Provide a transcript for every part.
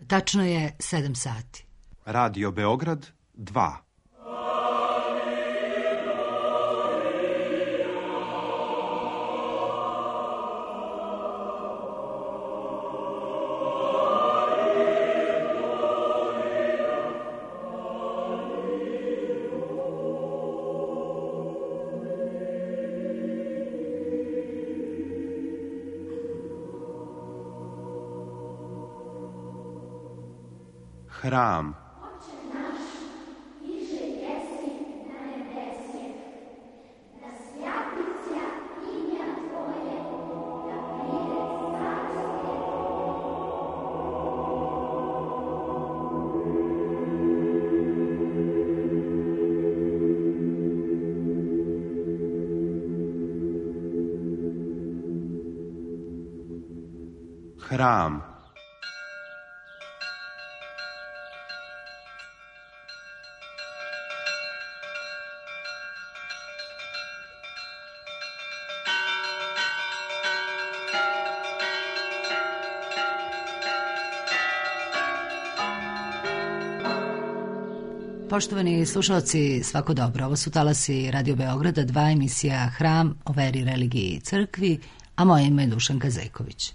Tačno je 7 sati. Radio Beograd 2. Hram. Hram. Poštovani slušalci, svako dobro. Ovo su talasi Radio Beograda 2, emisija Hram o veri, religiji i crkvi, a moje ime je Dušanka Zejković.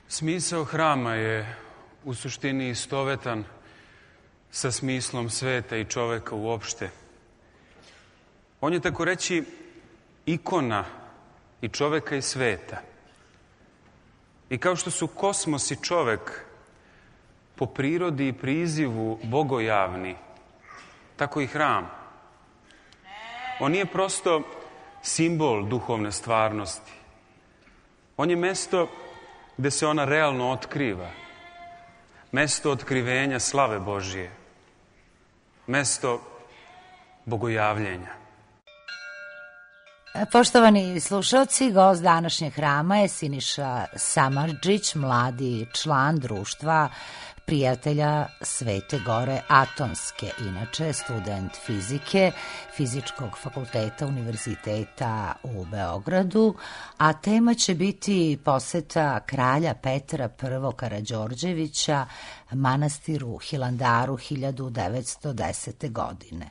Smisao hrama je u suštini istovetan sa smislom sveta i čoveka uopšte. On je tako reći ikona i čoveka i sveta. I kao što su kosmos i čovek po prirodi i prizivu bogojavni, tako i hram. On nije prosto simbol duhovne stvarnosti. On je mesto gde se ona realno otkriva. Mesto otkrivenja slave Božije. Mesto bogojavljenja. Poštovani slušalci, gost današnjeg hrama je Siniša Samardžić, mladi član društva prijatelja Svete Gore Atonske, inače student fizike Fizičkog fakulteta Univerziteta u Beogradu, a tema će biti poseta kralja Petra I. Karađorđevića manastiru Hilandaru 1910. godine.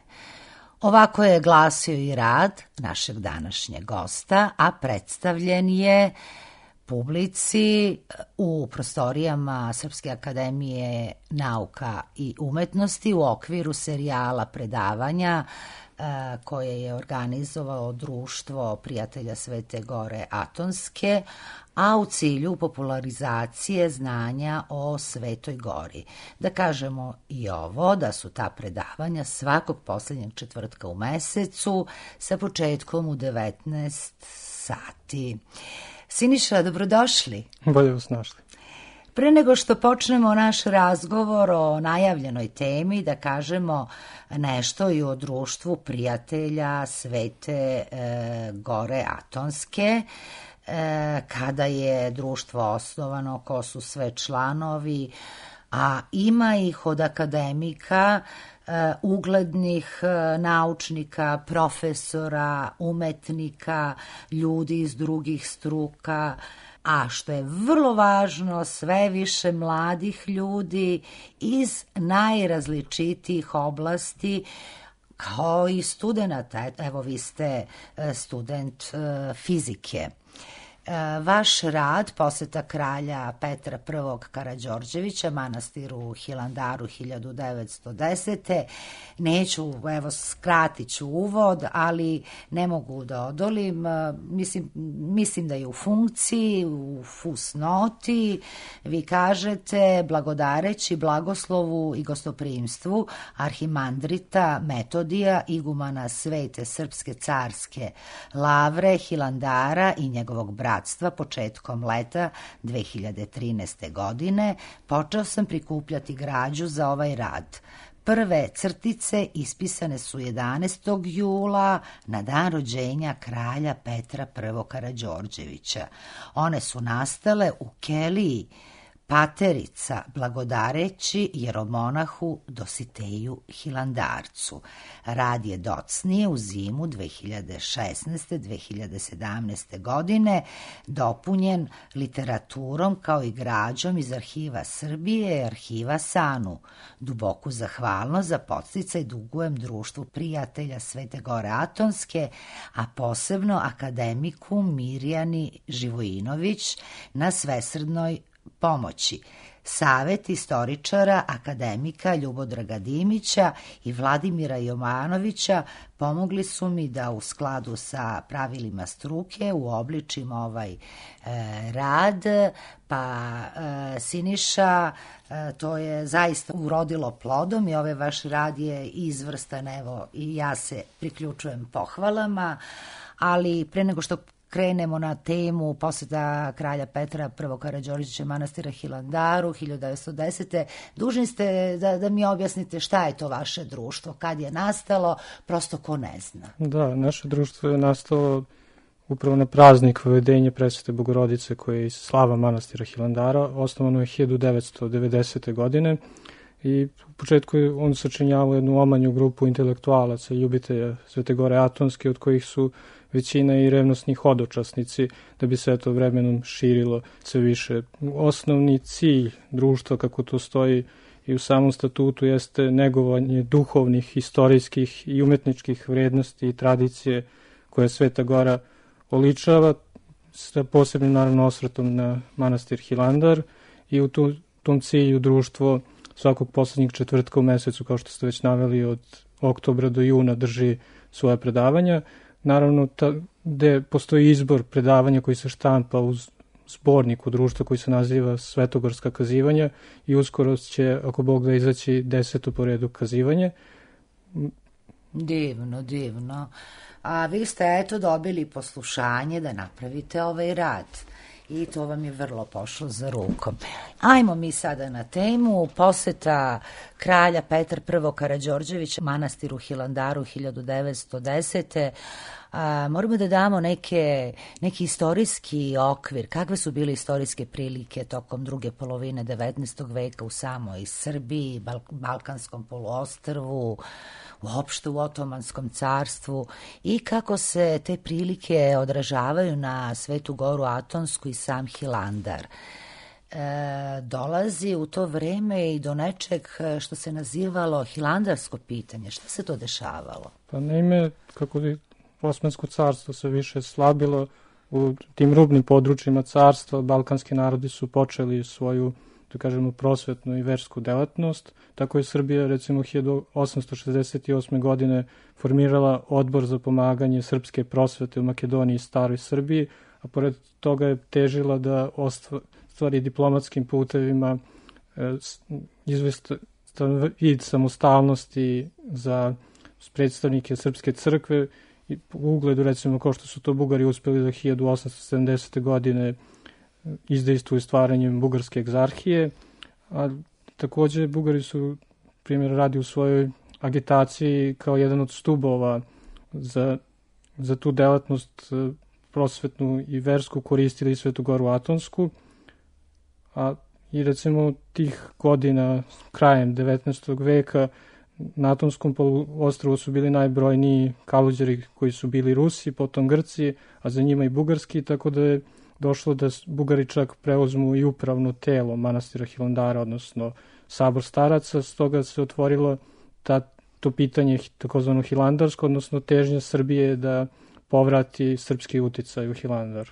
Ovako je glasio i rad našeg današnjeg gosta, a predstavljen je publici u prostorijama Srpske akademije nauka i umetnosti u okviru serijala predavanja koje je organizovalo Društvo prijatelja Svete Gore Atonske, a u cilju popularizacije znanja o Svetoj Gori. Da kažemo i ovo, da su ta predavanja svakog poslednjeg četvrtka u mesecu sa početkom u 19 sati. Siniša, dobrodošli. Bolje vas našli. Pre nego što počnemo naš razgovor o najavljenoj temi, da kažemo nešto i o društvu prijatelja Svete Gore Atonske. Kada je društvo osnovano, ko su sve članovi, a ima ih od akademika, uglednih naučnika, profesora, umetnika, ljudi iz drugih struka, a što je vrlo važno, sve više mladih ljudi iz najrazličitijih oblasti, kao i studenata. Evo, vi ste student fizike. Vaš rad, poseta kralja Petra I. Karađorđevića manastiru Hilandaru 1910. Neću, evo, skratit ću uvod, ali ne mogu da odolim. Mislim da je u funkciji, u fusnoti. Vi kažete, blagodareći blagoslovu i gostoprimstvu arhimandrita Metodija, igumana Svete Srpske carske Lavre, Hilandara i njegovog bratstva početkom leta 2013. godine, počeo sam prikupljati građu za ovaj rad. Prve crtice ispisane su 11. jula na dan rođenja kralja Petra I. Karađorđevića. One su nastale u keliji Paterica, blagodareći jeromonahu Dositeju Hilandarcu. Rad je docnije u zimu 2016-2017. godine dopunjen literaturom kao i građom iz Arhiva Srbije i Arhiva SANU. Duboku zahvalnost za podsticaj dugujem Društvu prijatelja Svete Gore Atonske, a posebno akademiku Mirjani Živojinović na svesrdnoj pomoći. Savet istoričara akademika Ljubodraga Dimića i Vladimira Jovanovića pomogli su mi da u skladu sa pravilima struke uobličim ovaj rad, pa Siniša, to je zaista urodilo plodom i ovaj vaš rad je izvrstan, evo, i ja se priključujem pohvalama, ali pre nego što krenemo na temu poseta kralja Petra I. Karađorđevića manastira Hilandaru 1910. Dužni ste da mi objasnite šta je to vaše društvo, kad je nastalo, prosto ko ne zna. Da, naše društvo je nastalo upravo na praznik Vavedenja Presvete Bogorodice, koje je iz slava manastira Hilandara. Osnovano je 1990. godine i u početku je on sačinjavao jednu omanju grupu intelektualaca i ljubitelja Svete Gore Atonske, od kojih su većina i revnosni hodočasnici, da bi se to vremenom širilo sve više. Osnovni cilj društva, kako to stoji i u samom statutu, jeste negovanje duhovnih, istorijskih i umetničkih vrednosti i tradicije koje Sveta Gora oličava, sa posebnim naravno osvrtom na manastir Hilandar, i u tom cilju društvo svakog poslednjeg četvrtka u mesecu, kao što ste već naveli, od oktobra do juna drži svoje predavanja. Naravno, gde postoji izbor predavanja koji se štampa u zborniku društva koji se naziva Svetogorska kazivanja, i uskoro će, ako Bog da, izaći 10. po redu kazivanje. Divno, divno. A vi ste dobili poslušanje da napravite ovaj rad. I to vam je vrlo pošlo za rukom. Ajmo mi sada na temu poseta kralja Petra I. Karađorđevića manastiru Hilandaru 1910. Moramo da damo neki istorijski okvir. Kakve su bile istorijske prilike tokom druge polovine 19. veka u samoj Srbiji, Balkanskom poluostrvu, uopšte u Otomanskom carstvu, i kako se te prilike odražavaju na Svetu Goru Atonsku i sam Hilandar. Dolazi u to vreme i do nečeg što se nazivalo hilandarsko pitanje. Šta se to dešavalo? Pa naime, kako je Osmansko carstvo se više slabilo, u tim rubnim područjima carstva balkanski narodi su počeli svoju, da kažemo, prosvetnu i versku delatnost. Tako je Srbija, recimo, 1868. godine formirala odbor za pomaganje srpske prosvete u Makedoniji i Staroj Srbiji, a pored toga je težila da ostvari diplomatskim putevima izvestan vid samostalnosti za predstavnike Srpske crkve, i u ugledu, recimo, kao što su to Bugari uspeli da 1870. godine izdejstvuju stvaranjem Bugarske egzarhije, a takođe Bugari su, primjer radi, u svojoj agitaciji kao jedan od stubova za tu delatnost prosvetnu i versku koristili Svetu Goru Atonsku, a i recimo tih godina krajem 19. veka na Atonskom poluostrvu su bili najbrojniji Kaluđeri, koji su bili Rusi, potom Grci, a za njima i Bugarski, tako da je došlo da Bugari čak preuzmu i upravno telo manastira Hilandara, odnosno sabor staraca. Stoga se otvorila to pitanje takozvano hilandarsko, odnosno težnja Srbije da povrati srpski uticaj u Hilandar.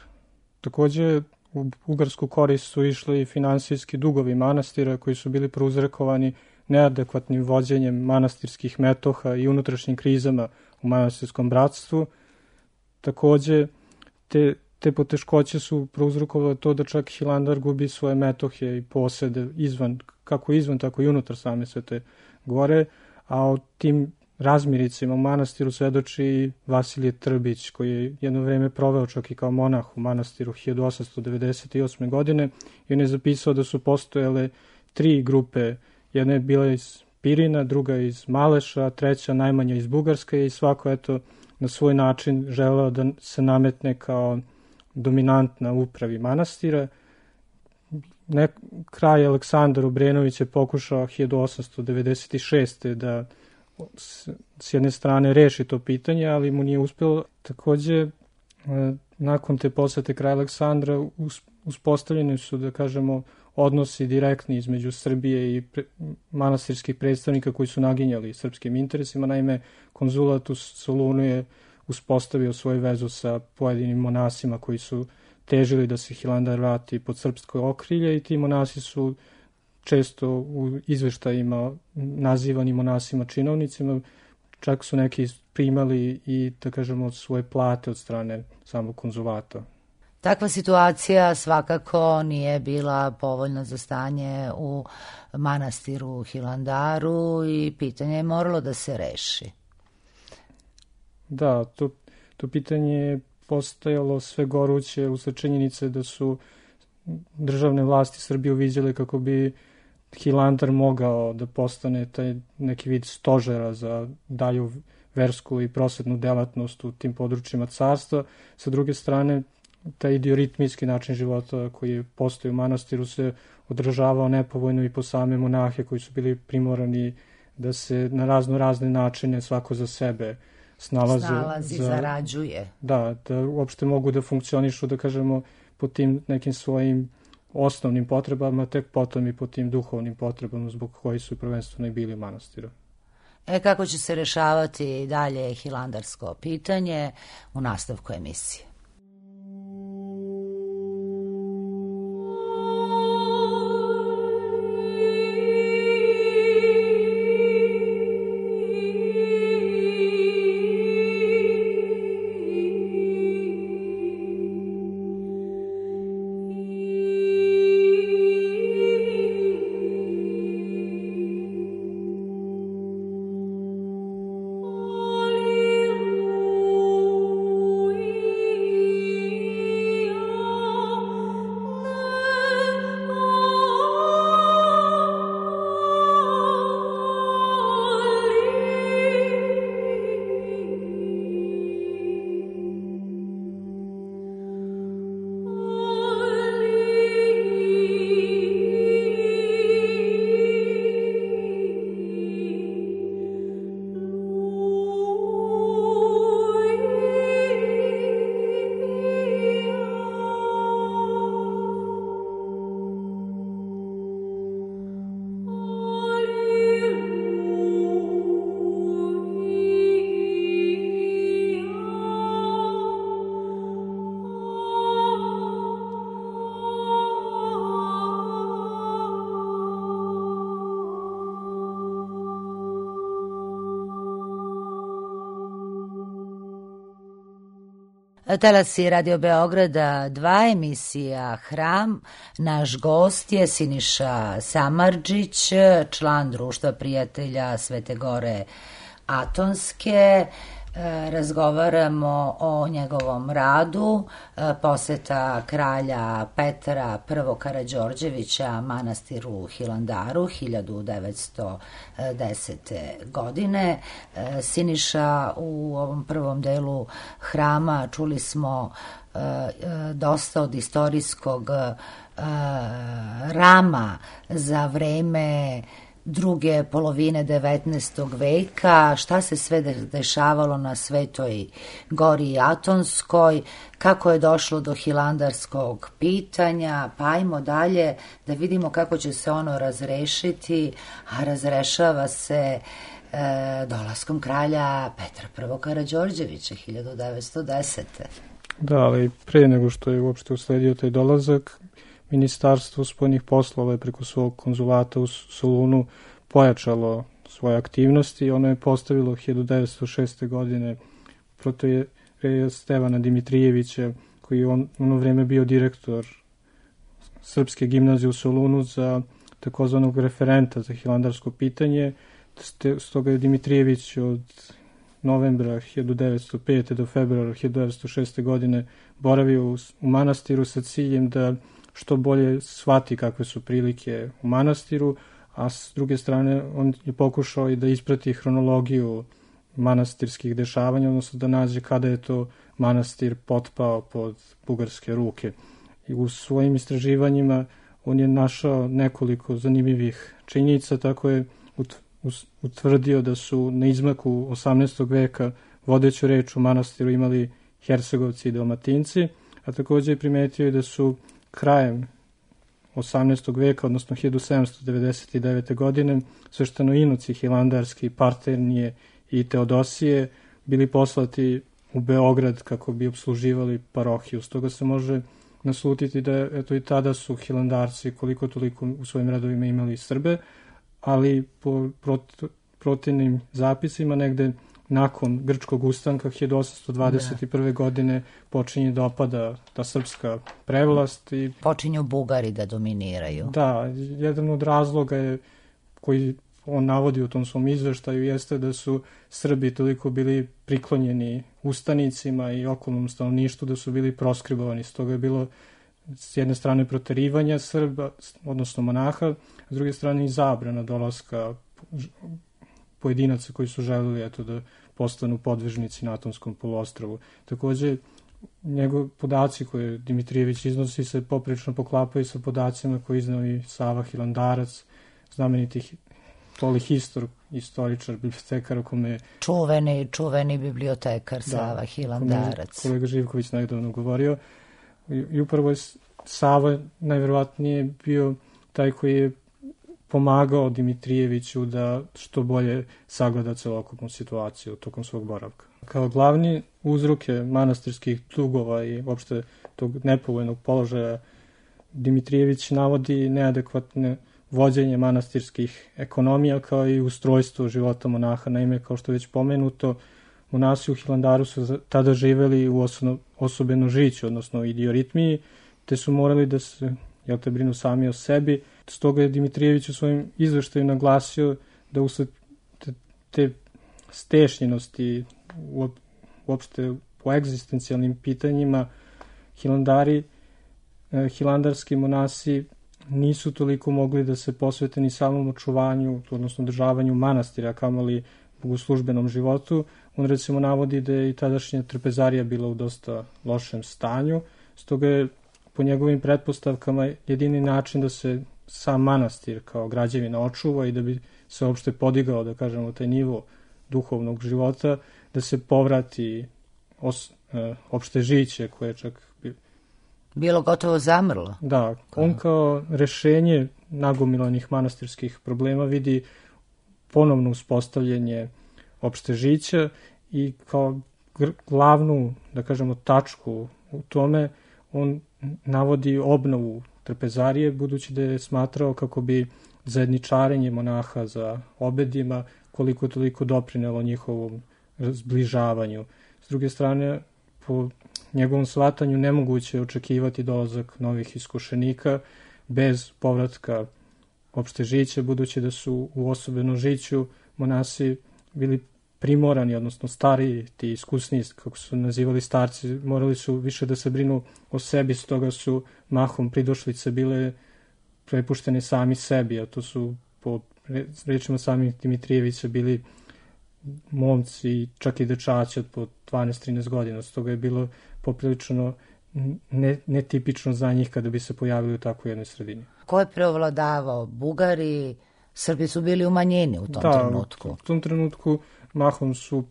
Takođe, u ugarsku korist su išli i finansijski dugovi manastira koji su bili prouzrokovani neadekvatnim vođenjem manastirskih metoha i unutrašnjim krizama u manastirskom bratstvu. Takođe, te poteškoće su prouzrokovale to da čak Hilandar gubi svoje metohe i posede kako izvan, tako i unutar same Svete Gore, a o tim razmiricima u manastiru svedoči i Vasilije Trbić, koji je jedno vreme proveo čak i kao monah u manastiru 1898. godine i on je zapisao da su postojale 3 grupe. Jedna je bila iz Pirina, druga iz Maleša, treća najmanja iz Bugarske i svako na svoj način želeo da se nametne kao dominantna upravi manastira. Kralj Aleksandar Obrenović je pokušao 1896. da s jedne strane reši to pitanje, ali mu nije uspelo. Takođe, nakon te posete kraja Aleksandra uspostavljeni su, da kažemo, odnosi direktni između Srbije i manastirskih predstavnika koji su naginjali srpskim interesima. Naime, konzulat u Solunu je uspostavio svoju vezu sa pojedinim monasima koji su težili da se Hilandar vrati pod srpsko okrilje i ti monasi su često u izveštajima nazivani monasima činovnicima, čak su neki primali i, da kažemo, svoje plate od strane samog konzulata. Takva situacija svakako nije bila povoljna za stanje u manastiru Hilandaru i pitanje je moralo da se reši. Da, to pitanje je postajalo sve goruće usled činjenice da su državne vlasti Srbije uviđale kako bi Hilandar mogao da postane taj neki vid stožera za dalju versku i prosvetnu delatnost u tim područjima carstva. Sa druge strane, taj idioritmijski način života koji postoji u manastiru se odražavao nepovoljno i po same monahe koji su bili primorani da se na razne načine svako za sebe snalazi, zarađuje. Da uopšte mogu da funkcionišu, da kažemo, po tim nekim svojim osnovnim potrebama, tek potom i po tim duhovnim potrebama zbog koji su prvenstveno i bili u manastiru. Kako će se rešavati dalje hilandarsko pitanje u nastavku emisije? Talasi Radio Beograda 2, emisija Hram. Naš gost je Siniša Samardžić, član Društva prijatelja Svete Gore Atonske. Razgovaramo o njegovom radu, poseta kralja Petra I. Karađorđevića manastiru Hilandaru 1910. godine. Siniša, u ovom prvom delu Hrama čuli smo dosta od istorijskog rama za vreme druge polovine 19. veka, šta se sve dešavalo na Svetoj Gori Atonskoj, kako je došlo do hilandarskog pitanja, pa ajmo dalje da vidimo kako će se ono razrešiti, a razrešava se dolaskom kralja Petra I. Karađorđevića 1910. Da, ali pre nego što je uopšte usledio taj dolazak, Ministarstvo spoljnih poslova je preko svog konzulata u Solunu pojačalo svoje aktivnosti i ono je postavilo 1906. godine protoijereja Stevana Dimitrijevića, koji je ono vreme bio direktor Srpske gimnazije u Solunu, za takozvanog referenta za hilandarsko pitanje. Stoga je Dimitrijević od novembra 1905. do februara 1906. godine boravio u manastiru sa ciljem da što bolje shvati kakve su prilike u manastiru, a s druge strane on je pokušao i da isprati hronologiju manastirskih dešavanja, odnosno da nađe kada je to manastir potpao pod bugarske ruke. I u svojim istraživanjima on je našao nekoliko zanimljivih činjenica, tako je utvrdio da su na izmaku 18. veka vodeću reč u manastiru imali Hercegovci i Dalmatinci, a također je primetio da su krajem 18. veka, odnosno 1799. godine, sveštenoinoci hilandarski, Parternije i Teodosije bili poslati u Beograd kako bi obsluživali parohiju. Stoga se može naslutiti da eto i tada su hilandarci koliko toliko u svojim redovima imali Srbe, ali po protivnim zapisima negde nakon grčkog ustanka 1821. godine počinje da opada ta srpska prevlast i počinju Bugari da dominiraju. Da, jedan od razloga je koji on navodi u tom svom izveštaju jeste da su Srbi toliko bili priklonjeni ustanicima i okolnom stanovništvu da su bili proskribovani. Stoga je bilo s jedne strane proterivanja Srba, odnosno monaha, s druge strane i zabrana dolaska pojedinaca koji su želeli eto, da postanu podvežnici na Atonskom poluostrvu. Također, njegov podaci koje Dimitrijević iznosi se poprilično poklapaju sa podacima koje iznao i Sava Hilandarac, znameniti istoričar, bibliotekar o kome... Čuveni bibliotekar Sava Hilandarac. Kolega Živković nedavno govorio. I upravo je Sava najverovatnije bio taj koji je pomagao Dimitrijeviću da što bolje sagleda celokupnu situaciju tokom svog boravka. Kao glavni uzroke manastirskih dugova i uopšte tog nepovoljnog položaja Dimitrijević navodi neadekvatne vođenje manastirskih ekonomija kao i ustrojstvo života monaha. Naime, kao što je već pomenuto, monasi u Hilandaru su tada živeli u osobenom-žiću, odnosno idioritmiji, te su morali da se brinu sami o sebi. Stoga je Dimitrijević u svojim izveštaju naglasio da usled te stešnjenosti uopšte po egzistencijalnim pitanjima hilandarski monasi nisu toliko mogli da se posvete ni samom očuvanju, odnosno održavanju manastira, kamoli bogoslužbenom životu. On recimo navodi da je i tadašnja trpezarija bila u dosta lošem stanju, stoga je po njegovim pretpostavkama jedini način da se sam manastir kao građevina očuva i da bi se uopšte podigao, da kažemo, taj nivo duhovnog života, da se povrati opšte žiće koje čak bilo gotovo zamrlo. Da, on kao rešenje nagomilanih manastirskih problema vidi ponovno uspostavljanje opšte žića i kao glavnu, da kažemo, tačku u tome on navodi obnovu trpezarije, budući da je smatrao kako bi zajedničarenje monaha za obedima koliko toliko doprinelo njihovom zbližavanju. S druge strane, po njegovom shvatanju nemoguće je očekivati dolazak novih iskušenika bez povratka opšte žiće, budući da su u osobenom žiću monasi bili primorani, odnosno stariji, ti iskusniji, kako su nazivali starci, morali su više da se brinu o sebi, stoga su mahom pridošlice bile prepuštene sami sebi, a to su po rečima samih Dimitrijevića bili momci, čak i dečaci od po 12-13 godina, stoga je bilo poprilično netipično za njih kada bi se pojavili u takvoj jednoj sredini. Ko je preovladavao? Bugari? Srbi su bili u manjini u tom trenutku. Da, u tom trenutku mahom su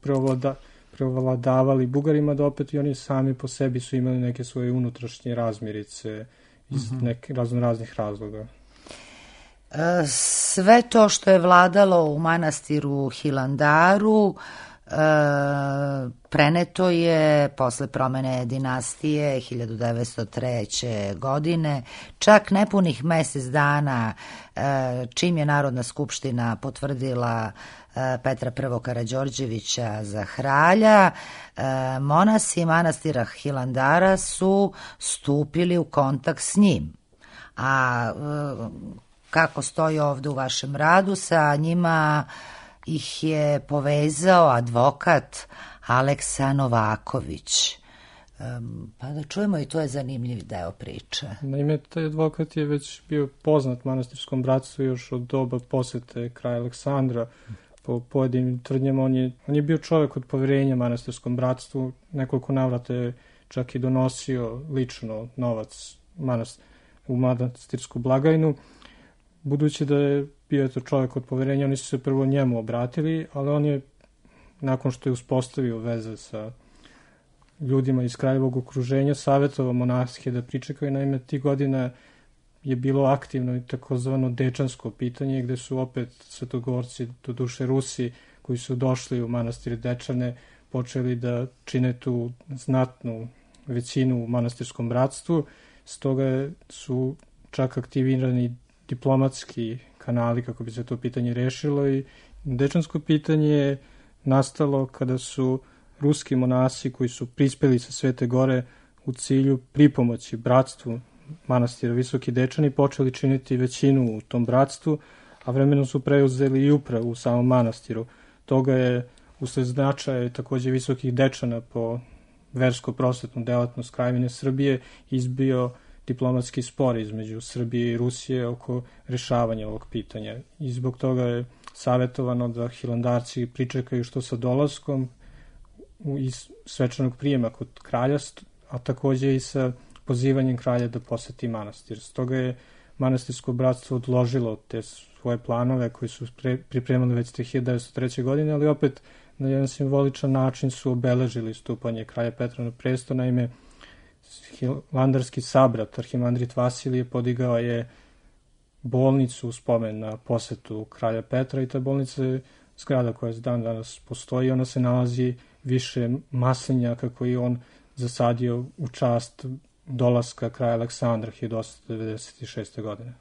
preovladavali Bugarima, da opet i oni sami po sebi su imali neke svoje unutrašnje razmirice iz raznih razloga. Sve to što je vladalo u manastiru Hilandaru preneto je posle promene dinastije 1903. godine, čak nepunih mesec dana čim je Narodna skupština potvrdila Petra I. Karađorđevića za kralja, monasi manastira Hilandara su stupili u kontakt s njim. A kako stoji ovde u vašem radu, sa njima ih je povezao advokat Aleksa Novaković. Pa da čujemo, i to je zanimljiv deo priče. Naime, taj advokat je već bio poznat manastirskom bratstvu još od doba posete kralja Aleksandra. Po pojedinim tvrdnjama on je bio čovjek od poverenja manastirskom bratstvu. Nekoliko navrata je čak i donosio lično novac u manastirsku blagajnu. Budući da je bio to čovjek od poverenja, oni su se prvo njemu obratili, ali on je, nakon što je uspostavio veze sa ljudima iz kraljevog okruženja, savjetovao monahe da pričekaju. Naime, tih godina je bilo aktivno i takozvano dečansko pitanje, gde su opet svetogorci, doduše Rusi, koji su došli u manastir Dečane, počeli da čine tu znatnu većinu u manastirskom bratstvu. Stoga su čak aktivirani diplomatski kanali kako bi se to pitanje rešilo, i dečansko pitanje je nastalo kada su ruski monasi koji su prispeli sa Svete Gore u cilju pripomoći bratstvu manastira Visoki Dečani počeli činiti većinu u tom bratstvu, a vremenom su preuzeli i upravu u samom manastiru. Toga je usled značaja takođe Visokih Dečana po versko-prosvetnu delatnost Kraljevine Srbije izbio diplomatski spor između Srbije i Rusije oko rešavanja ovog pitanja. I zbog toga je savjetovano da hilandarci pričekaju što sa dolaskom iz svečanog prijema kod kralja, a takođe i sa pozivanjem kralja da poseti manastir. Stoga je manastirsko bratstvo odložilo te svoje planove koji su pripremali već 1903. godine, ali opet na jedan simboličan način su obeležili stupanje kralja Petra na presto. Naime, hilandarski sabrat, arhimandrit Vasilije, podigao je bolnicu u spomen na posetu kralja Petra, i ta bolnica je zgrada koja dan danas postoji. Ona se nalazi više maslinjaka koji on zasadio u čast dolaska kralja Aleksandra 1896. godine.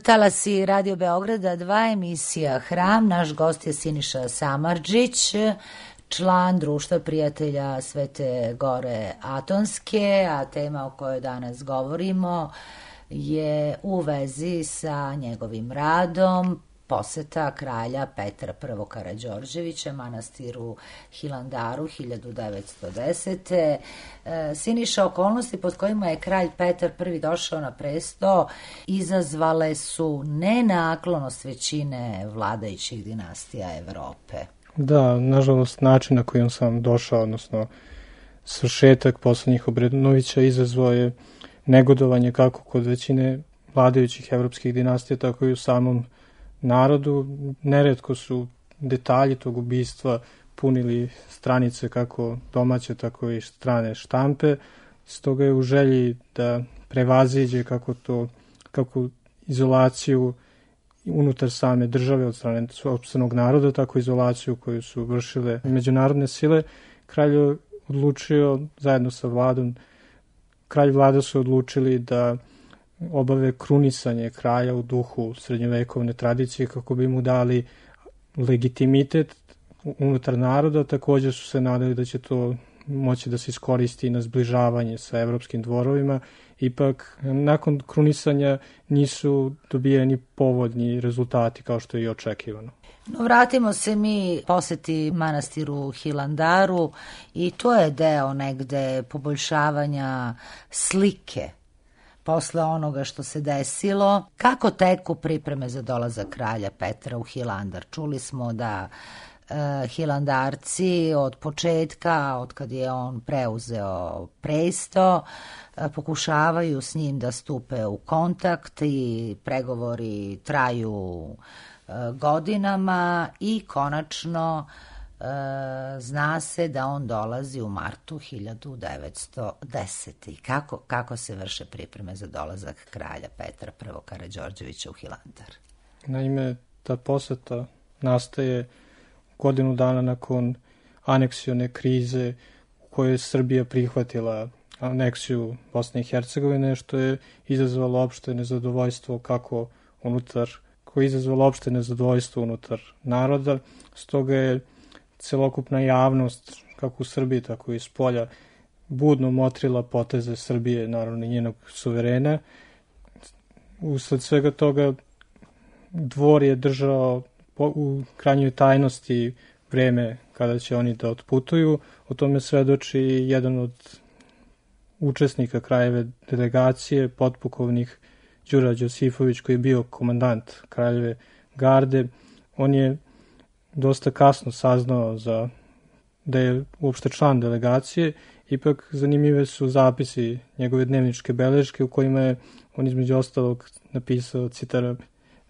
Talasi Radio Beograda 2, emisija Hram. Naš gost je Siniša Samardžić, član Društva prijatelja Svete Gore Atonske, a tema o kojoj danas govorimo je u vezi sa njegovim radom poseta kralja Petra I. Karađorđevića manastiru Hilandaru 1910. Siniša, okolnosti pod kojima je kralj Petar I. došao na presto izazvale su nenaklonost većine vladajućih dinastija Evrope. Da, nažalost, način na koji on sam došao, odnosno svršetak poslednjih Obrenovića izazvao je negodovanje kako kod većine vladajućih evropskih dinastija, tako i u samom narodu. Neretko su detalji tog ubistva punili stranice kako domaće, tako i strane štampe. Stoga je u želji da prevaziđe kako izolaciju unutar same države od strane sopstvenog naroda, tako izolaciju koju su vršile međunarodne sile, kralj je odlučio zajedno sa vladom, kralj i vlada su odlučili da obave krunisanje kralja u duhu srednjovekovne tradicije kako bi mu dali legitimitet unutar naroda. Također su se nadali da će to moći da se iskoristi na zbližavanje sa evropskim dvorovima. Ipak, nakon krunisanja nisu dobijeni povoljni rezultati kao što je i očekivano. No, vratimo se mi poseti manastiru Hilandaru i to je deo negde poboljšavanja slike posle onoga što se desilo. Kako teku pripreme za dolazak kralja Petra u Hilandar? Čuli smo da Hilandarci od početka, od kad je on preuzeo presto, pokušavaju s njim da stupe u kontakt i pregovori traju godinama i konačno zna se da on dolazi u martu 1910. Kako se vrše pripreme za dolazak kralja Petra I. Karađorđevića u Hilandar? Naime, ta poseta nastaje godinu dana nakon aneksione krize u kojoj je Srbija prihvatila aneksiju Bosne i Hercegovine, što je izazvalo opšte nezadovoljstvo unutar naroda. Stoga je celokupna javnost, kako u Srbiji, tako i iz polja, budno motrila poteze Srbije, naravno i njenog suverena. Usled svega toga dvor je držao u krajnjoj tajnosti vreme kada će oni da otputuju. O tome svedoči jedan od učesnika kraljeve delegacije, potpukovnik Đura Đosifović, koji je bio komandant kraljeve garde. On je dosta kasno saznao da je uopšte član delegacije. Ipak zanimljive su zapisi njegove dnevničke beleške u kojima je on između ostalog napisao, citaram: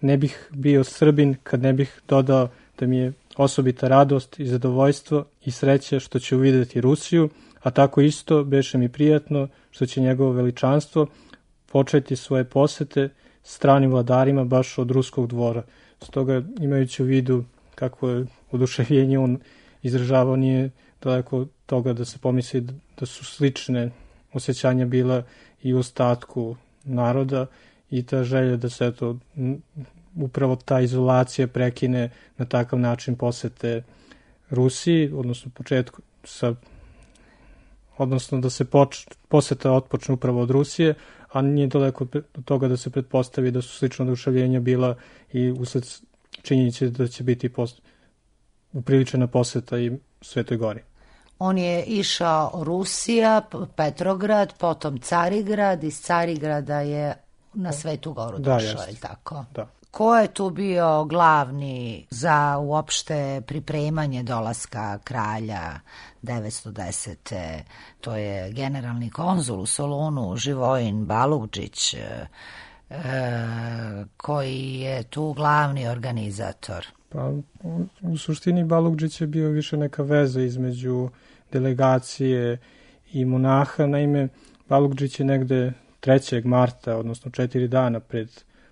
"Ne bih bio Srbin kad ne bih dodao da mi je osobita radost i zadovoljstvo i sreća što ću videti Rusiju, a tako isto beše mi prijatno što će njegovo veličanstvo početi svoje posete stranim vladarima baš od ruskog dvora." Stoga, imajući u vidu kako je oduševljenje on izražavao, nije daleko od toga da se pomisli da su slične osjećanja bila i u ostatku naroda i ta želja da se upravo ta izolacija prekine na takav način posete Rusiji, odnosno da se poseta otpočne upravo od Rusije, a nije daleko od toga da se pretpostavi da su slična oduševljenja bila i usled činjenice da će biti upriličena poseta i Svetoj Gori. On je išao Rusija, Petrograd, potom Carigrad, iz Carigrada je na Svetu Goru došao, je tako? Da. Ko je tu bio glavni za uopšte pripremanje dolaska kralja 910. To je generalni konzul u Solunu, Živojin Balugđić, koji je tu glavni organizator. Pa, u suštini Balugđić je bio više neka veza između delegacije i monaha. Naime, Balugđić je negde 3. marta, odnosno 4 dana pred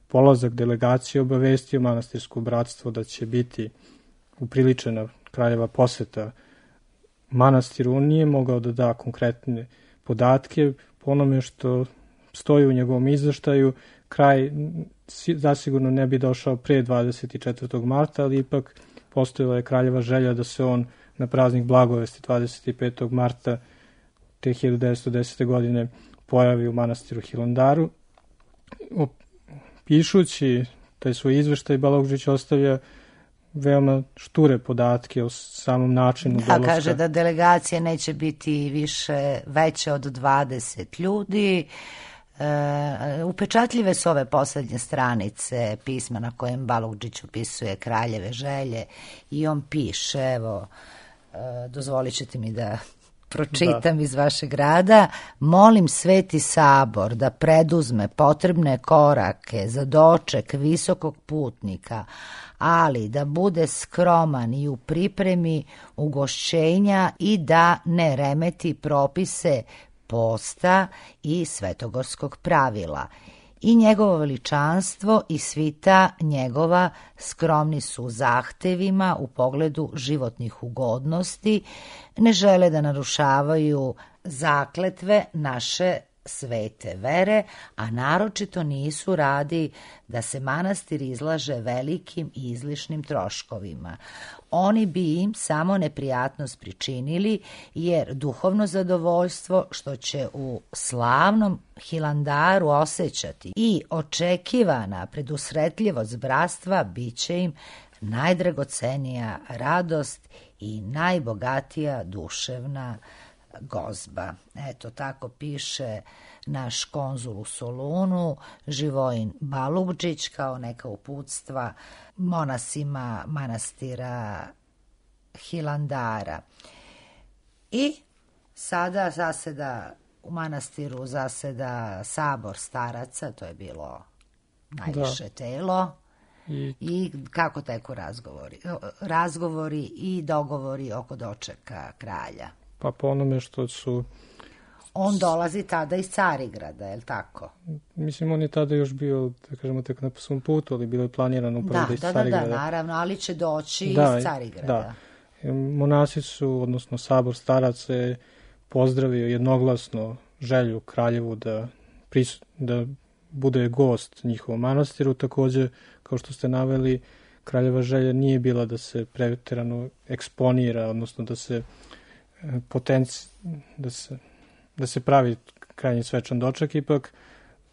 polazak delegacije, obavestio manastirsko bratstvo da će biti upriličena kraljeva poseta manastiru. On nije mogao da da konkretne podatke. Po onome što stoji u njegovom izveštaju, kraj zasigurno ne bi došao pre 24. marta, ali ipak postojala je kraljeva želja da se on na praznik Blagovesti 25. marta te 1910. godine pojavi u manastiru Hilandaru. Pišući taj svoj izveštaj, Balugđić ostavlja veoma šture podatke o samom načinu dolaska. Kaže da delegacija neće biti više veće od 20 ljudi, Upečatljive su ove posljednje stranice pisma na kojem Balugdžić opisuje kraljeve želje i on piše, evo, dozvolit ćete mi da pročitam iz vašeg rada: molim Sveti Sabor da preduzme potrebne korake za doček visokog putnika, ali da bude skroman i u pripremi ugošćenja i da ne remeti propise posta i svetogorskog pravila. I njegovo veličanstvo i svita njegova skromni su u zahtevima u pogledu životnih ugodnosti, ne žele da narušavaju zakletve naše svete vere, a naročito nisu radi da se manastir izlaže velikim i izlišnim troškovima. Oni bi im samo neprijatnost pričinili, jer duhovno zadovoljstvo što će u slavnom Hilandaru osjećati i očekivana predusretljivost bratstva bit će im najdragocenija radost i najbogatija duševna gozba. Eto, tako piše naš konzul u Solunu, Živojin Balugdžić, kao neka uputstva monasima manastira Hilandara. I sada zaseda u manastiru sabor staraca, to je bilo najviše telo. I kako teku razgovori i dogovori oko dočeka kralja? Pa po onome što su... On dolazi tada iz Carigrada, je li tako? Mislim, on je tada još bio, da kažemo, tek na svom putu, ali bilo je planirano upravo da iz Carigrada. Da, naravno, ali će doći iz Carigrada. Da. Monasi su, odnosno sabor staraca je pozdravio jednoglasno želju kraljevu da bude gost njihovom manastiru. Takođe, kao što ste naveli, kraljeva želja nije bila da se preterano eksponira, odnosno da se pravi krajnji svečan doček. Ipak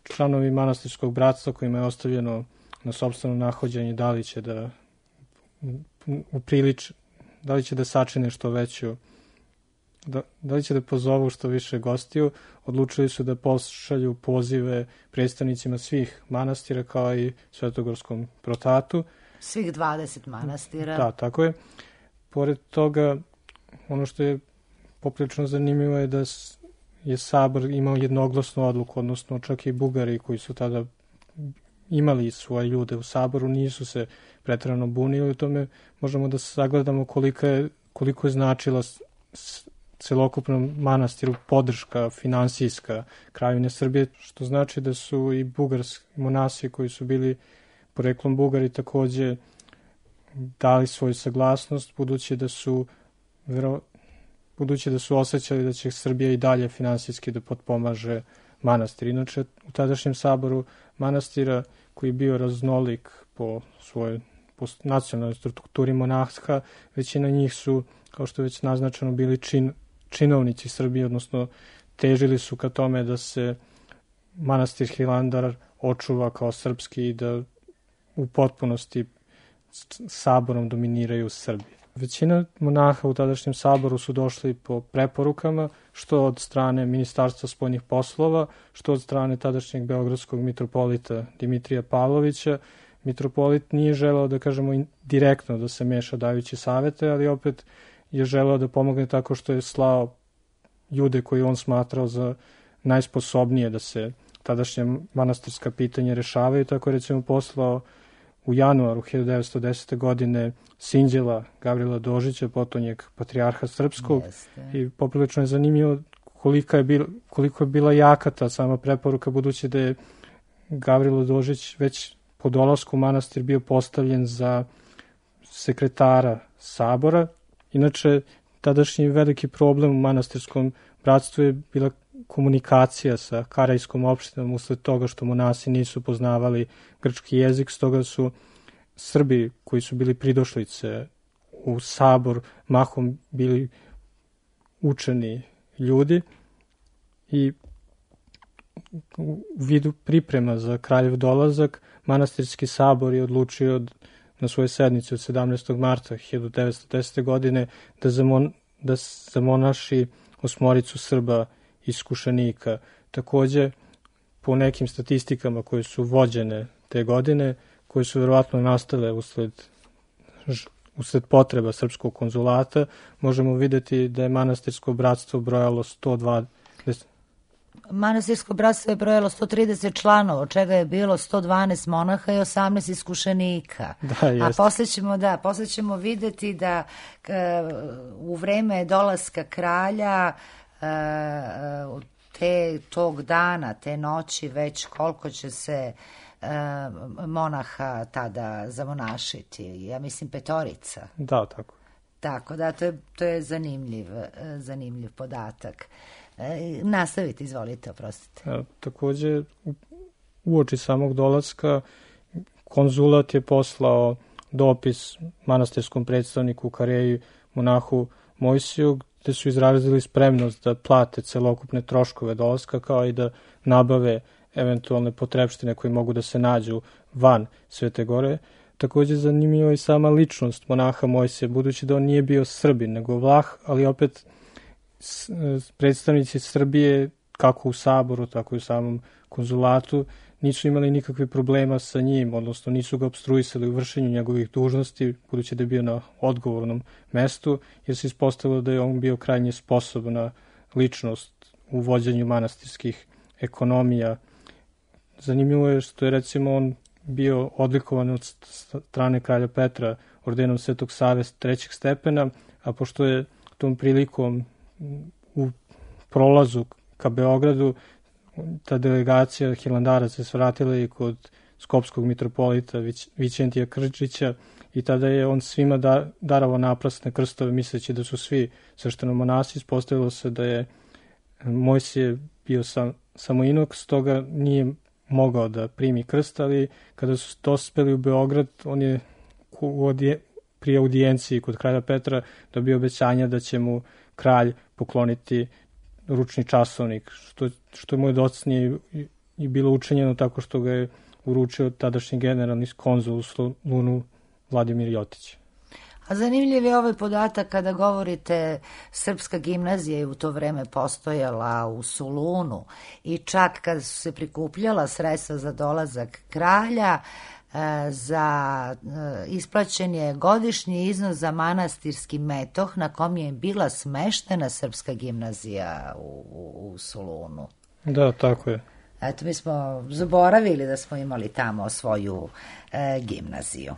članovi manastirskog bratstva kojima je ostavljeno na sopstveno nahođenje da li će da sačine što veću, da li će da pozovu što više gostiju, odlučili su da pošalju pozive predstavnicima svih manastira kao i Svetogorskom protatu. Svih 20 manastira. Da, tako je. Pored toga, ono što je poprilično zanimljivo je da je sabor imao jednoglasnu odluku, odnosno čak i Bugari koji su tada imali svoje ljude u saboru nisu se preterano bunili. U tome možemo da sagledamo koliko je značila celokupnom manastiru podrška finansijska Kraljevine Srbije, što znači da su i bugarski monasi koji su bili poreklom Bugari takođe dali svoju saglasnost, budući da su osjećali da će Srbija i dalje finansijski da potpomaže manastir. Inače, u tadašnjem saboru manastira, koji je bio raznolik po nacionalnoj strukturi monaha, većina njih su, kao što je već naznačeno, bili činovnici Srbije, odnosno težili su ka tome da se manastir Hilandar očuva kao srpski i da u potpunosti saborom dominiraju Srbije. Većina monaha u tadašnjem saboru su došli po preporukama, što od strane Ministarstva spoljnih poslova, što od strane tadašnjeg beogradskog mitropolita Dimitrija Pavlovića. Mitropolit nije želeo, da kažemo, direktno da se meša dajući savete, ali opet je želeo da pomogne tako što je slao ljude koji on smatrao za najsposobnije da se tadašnje manastirska pitanja rešavaju. Tako je recimo poslao u januaru 1910. godine Sinđela Gavrila Dožića, potonjeg patrijarha srpskog. I poprilično je zanimljivo koliko je bila jaka ta sama preporuka, budući da je Gavrilo Dožić već po dolasku u manastir bio postavljen za sekretara sabora. Inače, tadašnji veliki problem u manastirskom bratstvu je bila komunikacija sa karajskom opštinom usled toga što monasi nisu poznavali grčki jezik, stoga su Srbi koji su bili pridošlice u sabor mahom bili učeni ljudi i u vidu priprema za kraljev dolazak manastirski sabor je odlučio na svojoj sednici od 17. marta 1910. godine da zamonaši 8 Srba iskušenika. Takođe, po nekim statistikama koje su vođene te godine, koje su verovatno nastale usled potreba srpskog konzulata, možemo videti da je manastirsko bratstvo brojalo 120. Manastirsko bratstvo je brojalo 130 članova, od čega je bilo 112 monaha i 18 iskušenika. Da, a posle ćemo videti da u vreme dolaska kralja tog dana, te noći, već koliko će se monaha tada zamonašiti. Ja mislim 5. Da, tako. Tako da, to je zanimljiv podatak. Nastavite, izvolite, oprostite. Takođe, uoči samog dolaska, konzulat je poslao dopis manastirskom predstavniku Kareji, monahu Mojsiju, gde su izrazili spremnost da plate celokupne troškove dolaska, kao i da nabave eventualne potrepštine koje mogu da se nađu van Svete Gore. Takođe, zanimljiva je sama ličnost monaha Mojsija, budući da on nije bio Srbin, nego Vlah, ali opet predstavnici Srbije, kako u Saboru, tako i u samom konzulatu, nisu imali nikakve problema sa njim, odnosno nisu ga obstruisali u vršenju njegovih dužnosti, budući da je bio na odgovornom mestu, jer se ispostavilo da je on bio krajnje sposobna ličnost u vođenju manastirskih ekonomija. Zanimljivo je što je, recimo, on bio odlikovan od strane kralja Petra ordenom Svetog Save 3. stepena, a pošto je tom prilikom u prolazu ka Beogradu ta delegacija hilandaraca se vratila i kod skopskog mitropolita Vićentija Krčića i tada je on svima darovao naprasne krstove misleći da su svi sveštenomonasi. Ispostavilo se da je Mojsije bio samo inok, stoga nije mogao da primi krst, ali kada su dospeli u Beograd, on je pri audijenciji kod kralja Petra dobio obećanja da će mu kralj pokloniti ručni časovnik, što je mu je docnije i bilo učinjeno tako što ga je uručio tadašnji generalni konzul u Solunu Vladimir Jotić. A zanimljiv je ovaj podatak kada govorite srpska gimnazija je u to vreme postojala u Solunu i čak kada su se prikupljala sredstva za dolazak kralja, za isplaćen je godišnji iznos za manastirski metoh na kom je bila smeštena srpska gimnazija u Solunu. Da, tako je. Eto, mi smo zaboravili da smo imali tamo svoju gimnaziju.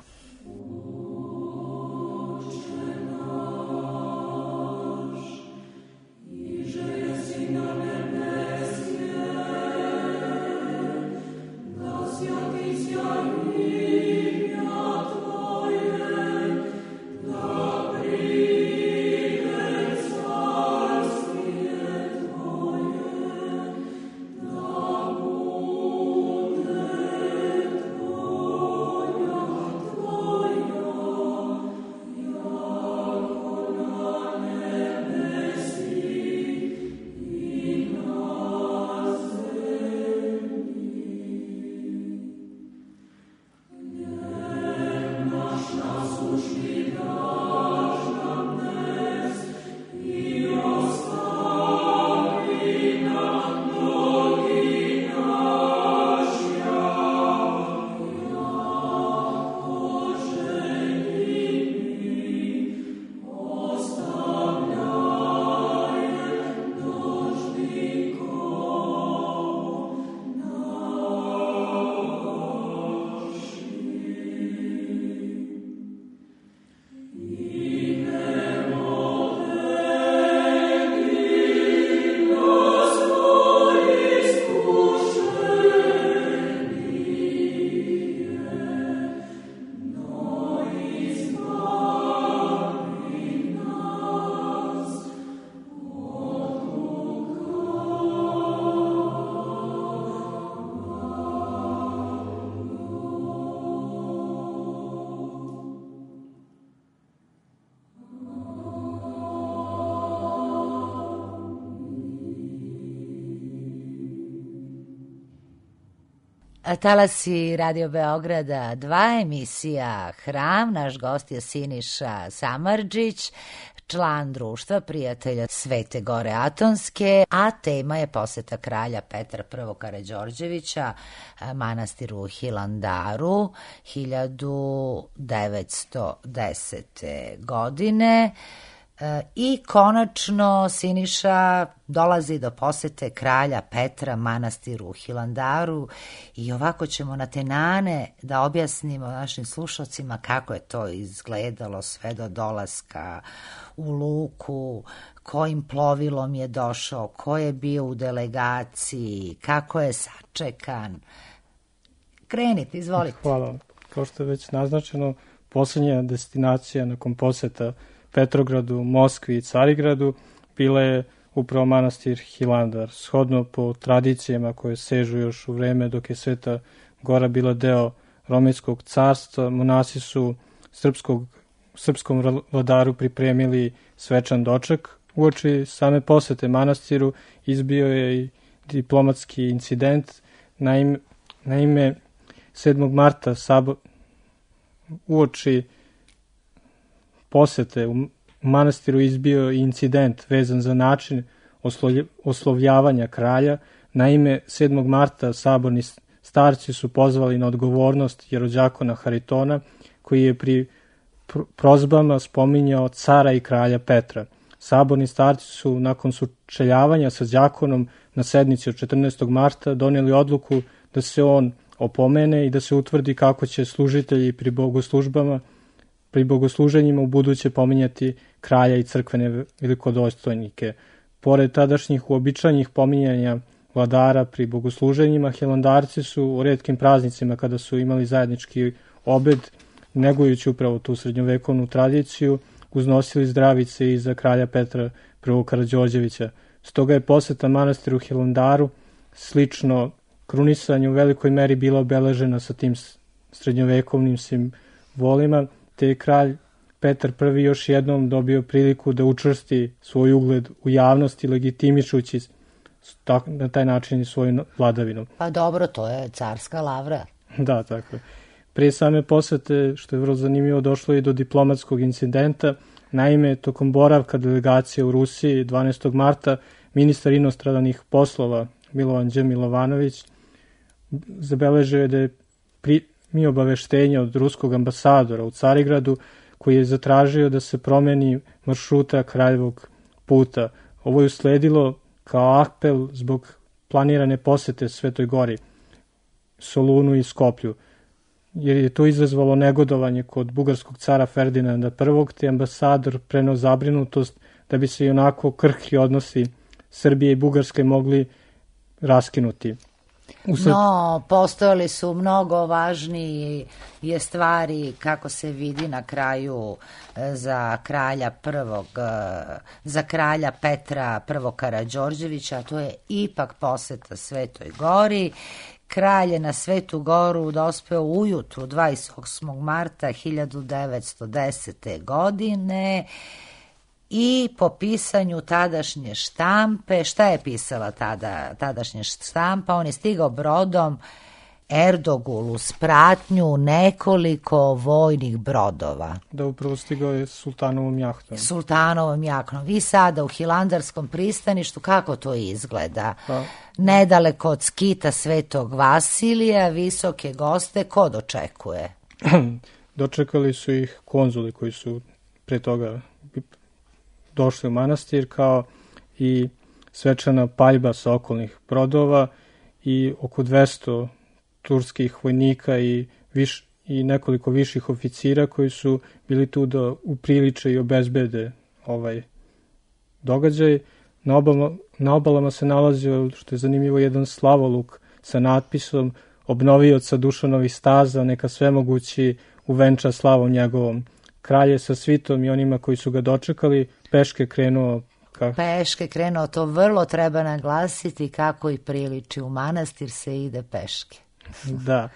Talasi Radio Beograda 2, emisija Hram. Naš gost je Siniša Samardžić, član društva prijatelja Svete Gore Atonske, a tema je poseta kralja Petra I. Karađorđevića manastiru Hilandaru 1910. godine. I konačno Siniša dolazi do posete kralja Petra manastiru u Hilandaru i ovako ćemo na tenane da objasnimo našim slušalcima kako je to izgledalo sve do dolaska u luku, kojim plovilom je došao, ko je bio u delegaciji, kako je sačekan. Krenite, izvolite. Hvala. Kao što je već naznačeno, posljednja destinacija nakon poseta Petrogradu, Moskvi i Carigradu bila je upravo manastir Hilandar. Shodno po tradicijama koje sežu još u vreme dok je Sveta Gora bila deo Romejskog carstva, monasi su srpskom vladaru pripremili svečan doček. Uoči same posete manastiru izbio je i diplomatski incident. Naime 7. marta uoči posete u manastiru izbio incident vezan za način oslovljavanja kralja. Naime, 7. marta saborni starci su pozvali na odgovornost jerođakona Haritona, koji je pri prozbama spominjao cara i kralja Petra. Saborni starci su nakon sučeljavanja sa đakonom na sednici od 14. marta donijeli odluku da se on opomene i da se utvrdi kako će služitelji pri bogosluženjima u buduće pominjati kralja i crkvene velikodostojnike. Pored tadašnjih uobičajenih pominjanja vladara pri bogosluženjima, hilandarci su u retkim praznicima kada su imali zajednički obed, negujući upravo tu srednjovekovnu tradiciju, uznosili zdravice i za kralja Petra I. Karađorđevića. Stoga je poseta manastiru Hilandaru, slično krunisanju, u velikoj meri bila obeležena sa tim srednjovekovnim simbolima, te je kralj Petar I. još jednom dobio priliku da učvrsti svoj ugled u javnosti, legitimišući na taj način i svoju vladavinu. Pa dobro, to je carska lavra. Da, tako je. Prije same posete, što je vrlo zanimljivo, došlo i do diplomatskog incidenta. Naime, tokom boravka delegacije u Rusiji 12. marta ministar inostranih poslova Milovan Đ. Milovanović zabeležio je da je primio obaveštenje od ruskog ambasadora u Carigradu, koji je zatražio da se promeni maršruta kraljevog puta. Ovo je usledilo kao apel zbog planirane posete Svetoj Gori, Solunu i Skoplju, jer je to izazvalo negodovanje kod bugarskog cara Ferdinanda I, te ambasador preneo zabrinutost da bi se i onako krhki odnosi Srbije i Bugarske mogli raskinuti. No, postojali su mnogo važnije stvari, kako se vidi na kraju, za kralja Petra I. Karađorđevića, a to je ipak poseta Svetoj Gori. Kralj je na Svetu Goru dospeo ujutru 28. marta 1910. godine i po pisanju tadašnje štampe, šta je pisala tadašnja štampa? On je stigao brodom Erdogul uz pratnju nekoliko vojnih brodova. Da, upravo stigao je sultanovom jahtom. Sultanovom jahtom. Vi sada u Hilandarskom pristaništu, kako to izgleda? Pa, nedaleko od skita Svetog Vasilija, visoke goste, ko dočekuje? Dočekali su ih konzuli koji su pre toga došli u manastir, kao i svečana paljba sa okolnih brodova i oko 200 turskih vojnika i nekoliko viših oficira koji su bili tu da upriliče i obezbede ovaj događaj. Na obalama se nalazio, što je zanimljivo, jedan slavoluk sa natpisom obnovioca Dušanovih staza, neka svemogući uvenča slavom njegovom. Kralj je sa svitom i onima koji su ga dočekali peške krenuo. To vrlo treba naglasiti, kako i priliči, u manastir se ide peške. Da,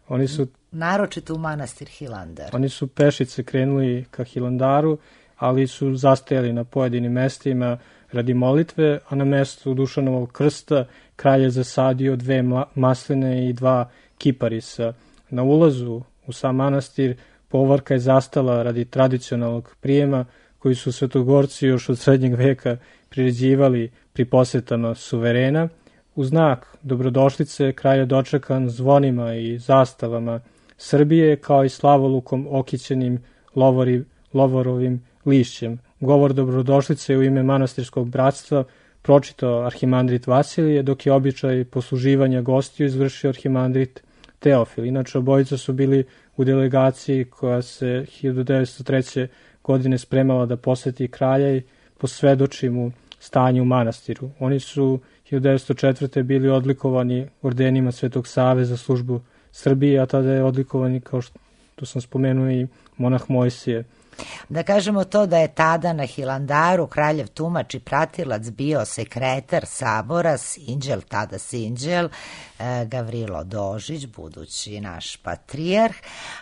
oni su... Naročito u manastir Hilandar. Oni su pešice krenuli ka Hilandaru, ali su zastajali na pojedinim mestima radi molitve, a na mestu Dušanovog krsta kralj je zasadio 2 masline i 2 kiparisa. Na ulazu u sam manastir povorka je zastala radi tradicionalnog prijema koji su svetogorci još od srednjeg veka priređivali pri posetama suverena. U znak dobrodošlice kralj je dočekan zvonima i zastavama Srbije, kao i slavolukom okićenim lovorovim lišćem. Govor dobrodošlice u ime manastirskog bratstva pročitao arhimandrit Vasilije, dok je običaj posluživanja gostiju izvršio arhimandrit Teofil. Inače, obojica su bili u delegaciji koja se 1903. godine spremala da poseti kralja i posvedoči mu stanje u manastiru. Oni su 1904. bili odlikovani ordenima Svetog Save za službu Srbije, a tada je odlikovani, kao što sam spomenuo, i monah Mojsije. Da kažemo to da je tada na Hilandaru kraljev tumač i pratilac bio sekretar sabora, sinđel, tada sinđel, Gavrilo Dožić, budući naš patrijarh.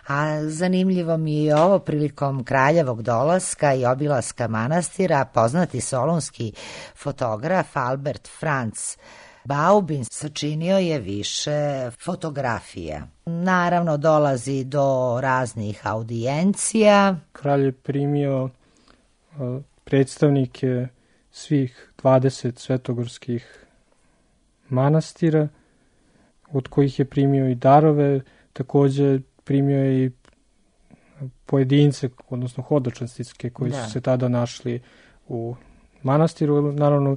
A zanimljivo mi je ovo, prilikom kraljevog dolaska i obilaska manastira, poznati solunski fotograf Albert Franz Baubin sačinio je više fotografija. Naravno, dolazi do raznih audijencija. Kralj je primio predstavnike svih 20 svetogorskih manastira, od kojih je primio i darove, takođe primio je i pojedince, odnosno hodočastitske, koji su se tada našli u manastiru. Naravno,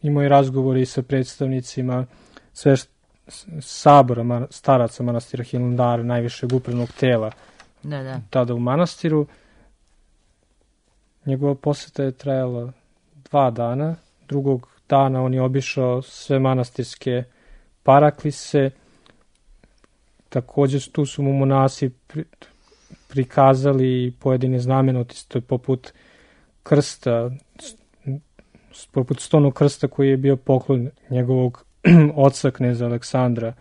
imao je razgovori i sa predstavnicima sabora staraca manastira Hilandara, najvišeg upravnog tela tada u manastiru. Njegova poseta je trajala 2 dana. Drugog dana on je obišao sve manastirske paraklise. Takođe tu su mu monasi prikazali pojedine znamenitosti poput krsta, poput stonog krsta koji je bio poklon njegovog oca kneza Aleksandra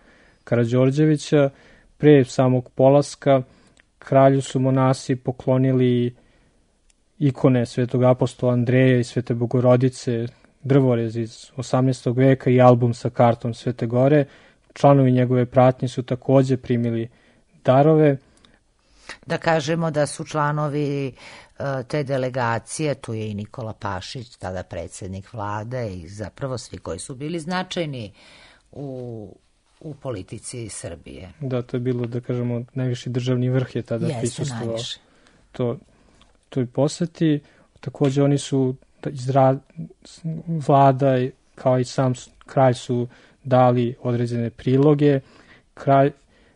Karađorđevića. Pre samog polaska kralju su monasi poklonili ikone svetog apostola Andreja i svete Bogorodice, drvorez iz 18. veka i album sa kartom Svete Gore. Članovi njegove pratnje su takođe primili darove. Da kažemo da su članovi te delegacije, tu je i Nikola Pašić, tada predsjednik vlade, i zapravo svi koji su bili značajni u politici Srbije. Da, to je bilo, da kažemo, najviši državni vrh je tada prisustvovao toj poseti. Takođe oni su iz vlada, kao i sam kralj, su dali određene priloge.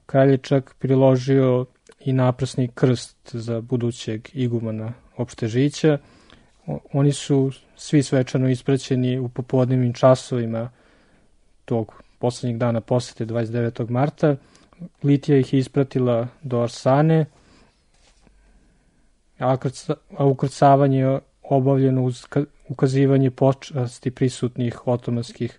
Kralj je čak priložio i naprsni krst za budućeg igumana Opštežića. Oni su svi svečano ispraćeni u popodnevnim časovima tog poslednjeg dana posete 29. marta. Litija ih je ispratila do Arsane, a ukrcavanje je obavljeno uz ukazivanje počasti prisutnih otomanskih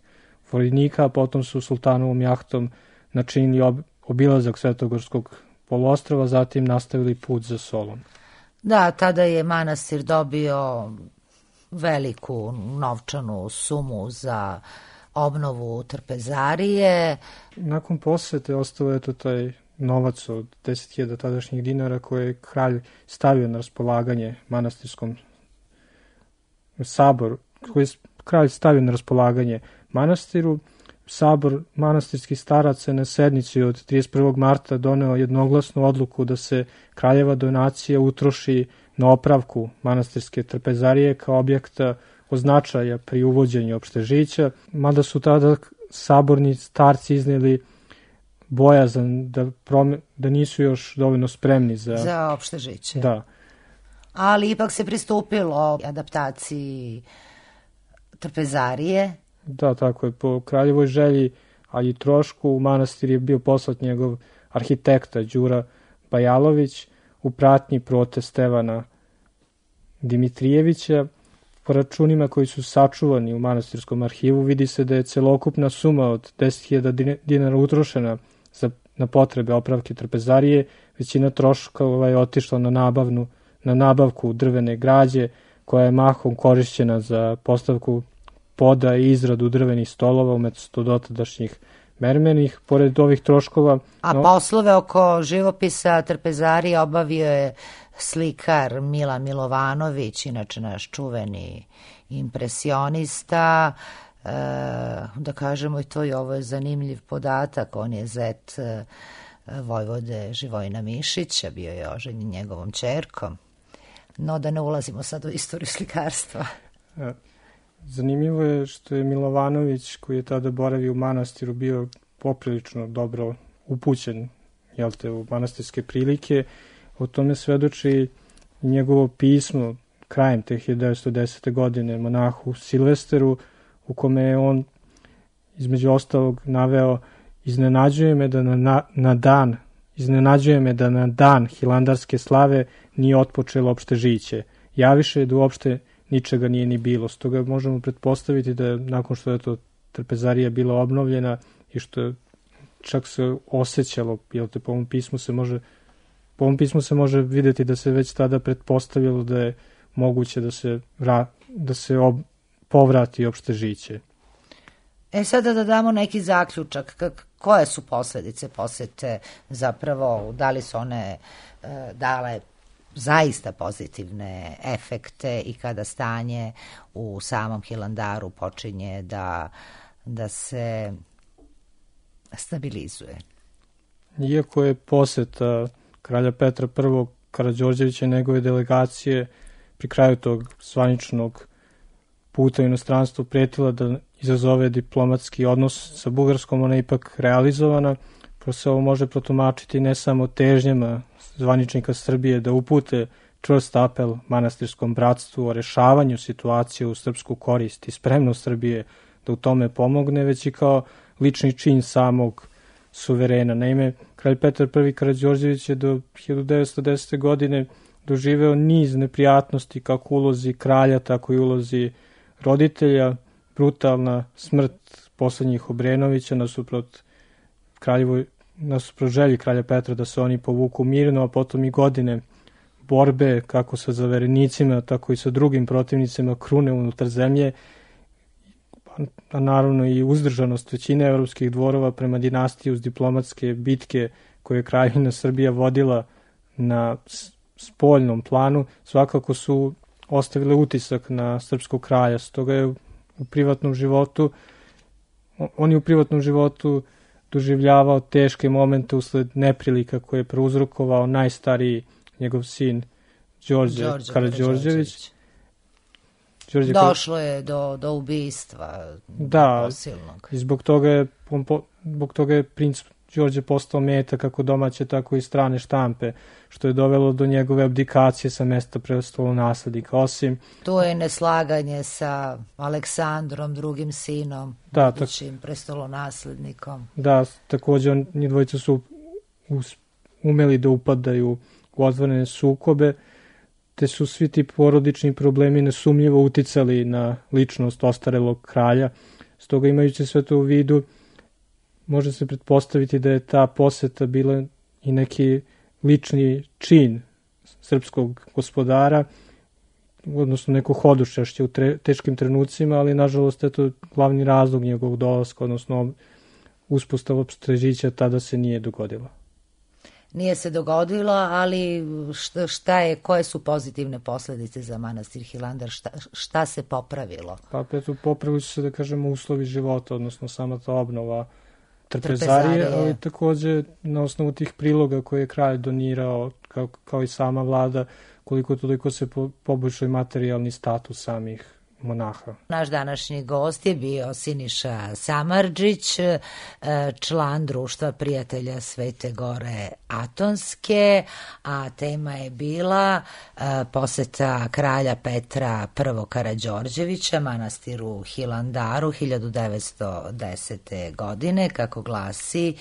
vojnika, a potom su sultanovom jahtom načinili obilazak Svetogorskog poluostrva, zatim nastavili put za Solun. Da, tada je manastir dobio veliku novčanu sumu za obnovu trpezarije. Nakon posete ostao je to taj novac od 10.000 tadašnjih dinara koje je kralj stavio na raspolaganje manastirskom saboru, koji je kralj stavio na raspolaganje manastiru. Sabor manastirskih staraca na sednici od 31. marta doneo jednoglasnu odluku da se kraljeva donacija utroši na opravku manastirske trpezarije kao objekta od značaja pri uvođenju Opštežića, mada su tada saborni starci izneli bojazan da nisu još dovoljno spremni za Opštežiće. Da. Ali ipak se pristupilo adaptaciji trpezarije. Da, tako je. Po kraljevoj želji, ali i trošku, u manastir je bio poslat njegov arhitekta Đura Bajalović u pratnji prote Stevana Dimitrijevića. Po računima koji su sačuvani u manastirskom arhivu vidi se da je celokupna suma od 10.000 dinara utrošena na potrebe opravke trpezarije. Većina troškova je otišla na nabavku drvene građe koja je mahom korišćena za postavku poda i izradu drvenih stolova umesto dotadašnjih mermenih, pored ovih troškova. A poslove oko živopisa trpezarije obavio je slikar Milan Milovanović, inače naš čuveni impresionista. Da kažemo i to, i ovo je zanimljiv podatak, on je zet vojvode Živojina Mišića, bio je oženjen njegovom ćerkom. No, da ne ulazimo sad u istoriju slikarstva. Zanimljivo je što je Milovanović, koji je tada boravio u manastiru, bio poprilično dobro upućen u manastirske prilike. O tome svedoči njegovo pismo krajem te 1910. godine monahu Silvesteru, u kome je on između ostalog naveo: iznenađuje me da na dan hilandarske slave nije otpočelo opšte žiće. Javiše da uopšte ničega nije ni bilo. Stoga možemo pretpostaviti da nakon što je to trpezarija bila obnovljena i što čak se osjećalo, po ovom pismu se može videti da se već tada pretpostavilo da je moguće da se povrati opšte žiće. Sada da damo neki zaključak, koje su posledice posete zapravo, da li su one dale zaista pozitivne efekte i kada stanje u samom Hilandaru počinje da se stabilizuje. Iako je poseta kralja Petra I. Karađorđevića i njegove delegacije pri kraju tog zvaničnog puta u inostranstvu pretila da izazove diplomatski odnos sa Bugarskom, ona je ipak realizovana. Se ovo može protumačiti ne samo težnjama zvaničnika Srbije da upute čvrst apel manastirskom bratstvu o rešavanju situacije u srpsku korist i spremnost Srbije da u tome pomogne, već i kao lični čin samog suverena. Naime, kralj Petar I. Karađorđević je do 1910. godine doživeo niz neprijatnosti kako u ulozi kralja, tako i u ulozi roditelja. Brutalna smrt poslednjih Obrenovića nasuprot želji kralja Petra da se oni povuku mirno, a potom i godine borbe kako sa zaverenicima, tako i sa drugim protivnicima krune unutar zemlje, a naravno i uzdržanost većine evropskih dvorova prema dinastiji uz diplomatske bitke koje je Kraljevina Srbija vodila na spoljnom planu, svakako su ostavile utisak na srpskog kralja. Stoga je u privatnom životu doživljavao teške momente usled neprilika koje je prouzrokovao najstariji njegov sin Đorđe Karađorđević. Došlo je do ubistva posilnog. I zbog toga je princ Đorđe postao meta kako domaće, tako i strane štampe, što je dovelo do njegove abdikacije sa mesta prestolonaslednika. Tu je neslaganje sa Aleksandrom, drugim sinom, budućim prestolonaslednikom. Da, takođe njih dvojica su umeli da upadaju u otvorene sukobe, te su svi ti porodični problemi nesumnjivo uticali na ličnost ostarelog kralja. Stoga, imajući sve to u vidu, može se pretpostaviti da je ta poseta bila i neki lični čin srpskog gospodara, odnosno neko hodočašće u teškim trenucima, ali nažalost je to glavni razlog njegovog dolaska, odnosno uspostava opšte tada se nije dogodila. Nije se dogodilo, ali koje su pozitivne posledice za manastir Hilandar, šta se popravilo? Pa popravili su se, da kažemo, uslovi života, odnosno sama ta obnova trpezarije, ali takođe na osnovu tih priloga koje je kralj donirao, kao i sama vlada, koliko toliko se poboljšao i materijalni status samih monaha. Naš današnji gost je bio Siniša Samardžić, član Društva prijatelja Svete Gore Atonske, a tema je bila poseta kralja Petra I. Karađorđevića manastiru Hilandaru 1910. godine, kako glasi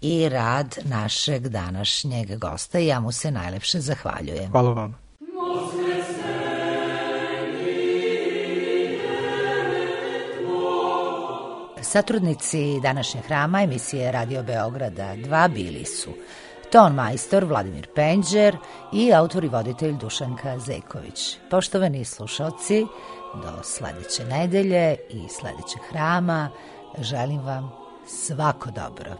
i rad našeg današnjeg gosta. Ja mu se najlepše zahvaljujem. Hvala vam. Satrudnici današnjeg hrama emisije Radio Beograda 2 bili su ton majstor Vladimir Penđer i autor i voditelj Dušanka Zeković. Poštovani slušalci, do sledeće nedelje i sledećeg hrama želim vam Svako dobro.